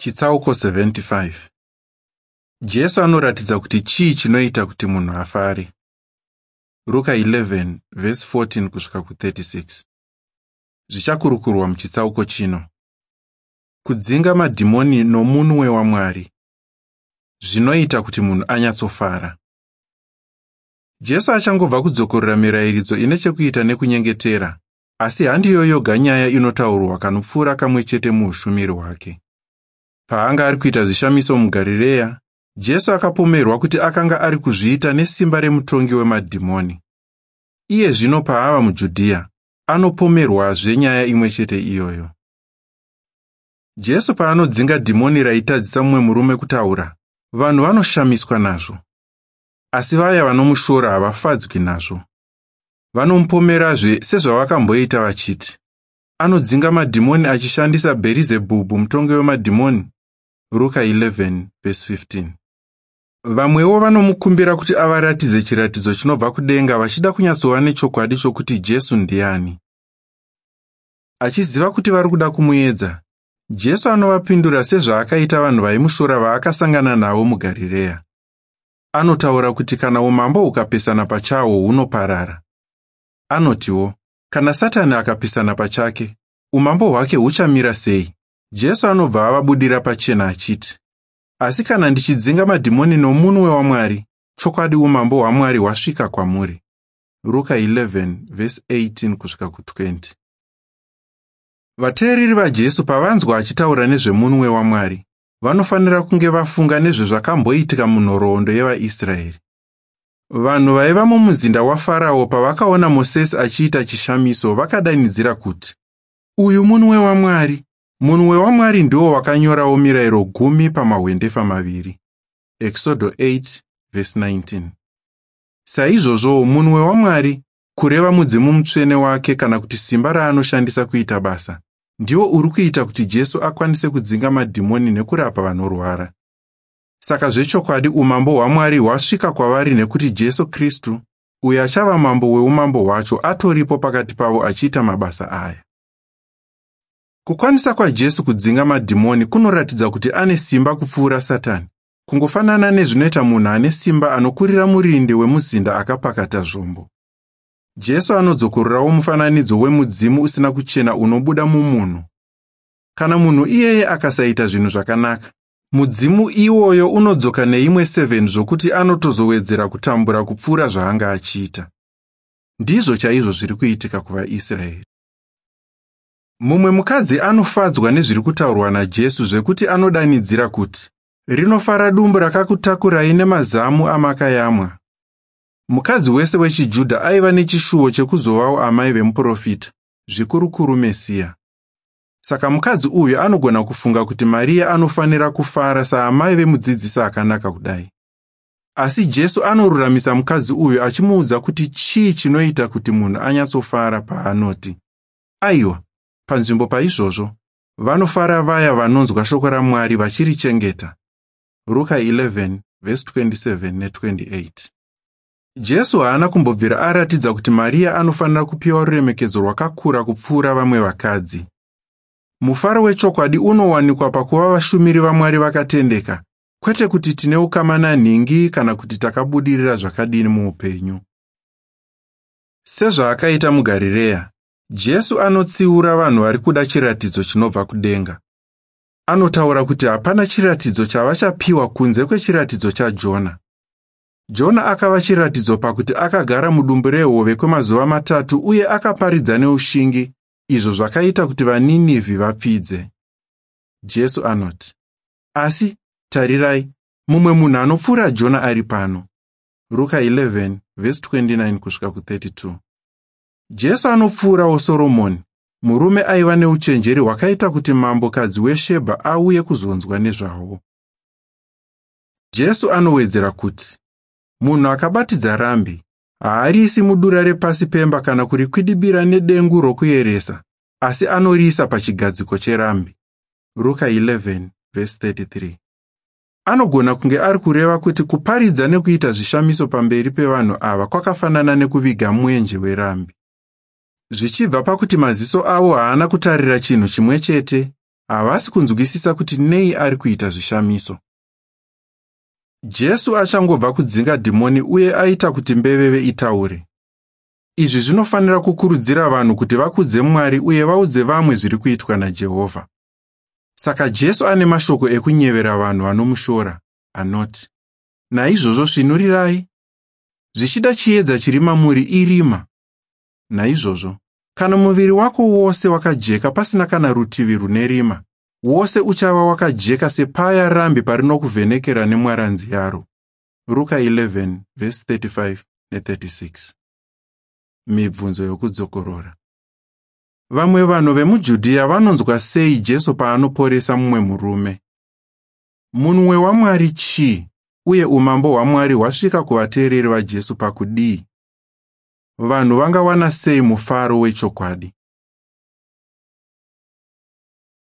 Chitsauko 75. Jesu anoratidza kuti chii chinoita kuti munhu afare. Ruka 11 vhesi 14 kusvika ku36. Zvichakurukurwa muchitsauko chino. Kudzinga madhimoni nomunwe waMwari. Zvinoita kuti munhu anyatsofara. Jesu achangobva kudzokorora mirayiridzo ine chekuita nekunyengetera, asi handiyo yoga nyaya inotaurwa kanopfuura kamwe chete muushumiri hwake. Paanga ari kuita zvishamiso muGarireya, Jesu akapomerwa kuti akanga ari kuzviita nesimba remutongi wemadhimoni. Iye zvino paava muJudhiya, anopomerwazve nyaya imwe chete iyoyo. Jesu paanodzinga dhimoni raitadzisa mumwe murume kutaura, vanhu vanoshamiswa nazvo. Asi vaya vanomushora havafadzwi nazvo. Vanomupomerazve sezvavakamboita vachiti, anodzinga madhimoni achishandisa Bherizebhubhu mutongi wemadhimoni. Ruka 11 vhesi 15. Vamwewo vanomukumbira kuti avaratidze chiratidzo chinobva kudenga vachida kunyatsova nechokwadi chokuti Jesu ndiani. Achiziva kuti vari kuda kumuedza, Jesu anovapindura sezvaakaita vanhu vaimushora vaakasangana navo muGarireya. Anotaura kuti kana umambo hukapesana pachahwo hunoparara. Anotiwo, kana Satani akapesana pachake, umambo hwake huchamira sei? Jesu anobva avabudira pachena achiti, asi kana ndichidzinga madhimoni nomunwe waMwari, chokwadi umambo hwaMwari hwasvika kwamuri. Ruka 11 vhesi 18 kusvika ku20. Vateereri vaJesu pavanzwa achitaura nezvemunwe waMwari, vanofanira kunge vafunga nezvezvakamboitika munhoroondo yevaIsraeri. Vanhu vaiva mumuzinda waFarao pavakaona Mosesi achiita chishamiso vakadanidzira kuti, uyu munwe waMwari. Munwe waMwari ndiwo wakanyorawo mirayiro 10 pamahwendefa maviri. Exodo 8 vhesi 19. Saizvozvowo munwe waMwari, kureva mudzimu mutsvene wake kana kuti simba raanoshandisa kuita basa, ndiwo uri kuita kuti Jesu akwanise kudzinga madhimoni nekurapa vanorwara. Saka zvechokwadi umambo hwaMwari hwasvika kwavari nekuti Jesu Kristu, uyo achava mambo weumambo hwacho, atoripo pakati pavo achiita mabasa aya. Kukwanisa kwaJesu kudzinga madhimoni kunoratidza kuti ane simba kupfuura Satani, kungofanana nezvinoita munhu ane simba anokurira murindi wemuzinda akapakata zvombo. Jesu anodzokorerawo mufananidzo wemudzimu usina kuchena unobuda mumunhu. Kana munhu iyeye akasaita zvinhu zvakanaka, mudzimu iwoyo unodzoka neimwe 7 zvokuti anotozowedzera kutambura kupfuura zvaanga achiita. Ndizvo chaizvo zviri kuitika kuvaIsraeri. Mumwe mukadzi anofadzwa nezviri kutaurwa naJesu zvekuti anodanidzira kuti, rinofara dumbu rakakutakurai nemazamu amakayamwa. Mukadzi wese wechiJudha aiva nechishuwo chekuzovawo amai vemuprofita, zvikurukuru Mesiya. Saka mukadzi uyu anogona kufunga kuti Mariya anofanira kufara saamai vemudzidzisi akanaka kudai. Asi Jesu anoruramisa mukadzi uyu achimuudza kuti chii chinoita kuti munhu anyatsofara paanoti, aiwa, panzvimbo paizvozvo, vanofara vaya vanonzwa shoko raMwari vachirichengeta. Ruka 11 vhesi 27 ne28. Jesu haana kumbobvira aratidza kuti Mariya anofanira kupiwa ruremekedzo rwakakura kupfuura vamwe vakadzi. Mufaro wechokwadi unowanikwa pakuva vashumiri vaMwari vakatendeka, kwete kuti tine ukama nanhingi kana kuti takabudirira zvakadini muupenyu. Sezvaakaita muGarireya, Jesu anotsiura vanhu vari kuda chiratidzo chinobva kudenga. Anotaura kuti hapana chiratidzo chavachapiwa kunze kwechiratidzo chaJona. Jona akava chiratidzo pakuti akagara mudumbu rehove kwemazuva 3 uye akaparidza neushingi, izvo zvakaita kuti vaNinivhi vapfidze. Jesu anoti, asi tarirai, mumwe munhu anopfuura Jona ari pano. Ruka 11 vhesi 29 kusvika ku32. Jesu anopfuurawo Soromoni, murume aiva neuchenjeri hwakaita kuti mambokadzi weShebha auye kuzonzwa nezvawo. Jesu anowedzera kuti, munhu akabatidza rambi haariisi mudura repasi pemba kana kurikwidibira nedengu rokuyeresa, asi anoriisa pachigadziko cherambi. Ruka 11 vhesi 33. Anogona kunge ari kureva kuti kuparidza nekuita zvishamiso pamberi pevanhu ava kwakafanana nekuviga mwenje werambi. Zvichibva pakuti maziso avo haana kutarira chinhu chimwe chete, Havasi kunzwisisa kuti nei ari kuita zvishamiso. Jesu achangobva kudzinga dhimoni uye aita kuti mbeveve itaure. Izvi zvinofanira kukurudzira vanhu kuti vakudze Mwari uye vaudze vamwe zviri kuitwa naJehovha. Saka Jesu ane mashoko ekunyevera vanhu vanomushora anoti, Naizvozvo svinurirai. Zvichida chiedza chiri mamuri irima. Naizvozvo, kana muviri wako wose wakajeka pasina kana rutivi rune rima, wose uchava wakajeka sepaya rambi parinokuvhenekera nemwaranzi yaro. Ruka 11 vhesi 35 ne36. Mibvunzo yokudzokorora. Vamwe vanhu vemuJudhiya vanonzwa sei Jesu paanoporesa mumwe murume? Munwe waMwari chii, uye umambo hwaMwari hwasvika kuvateereri vaJesu pakudii? Vanhu vangawana sei mufaro wechokwadi?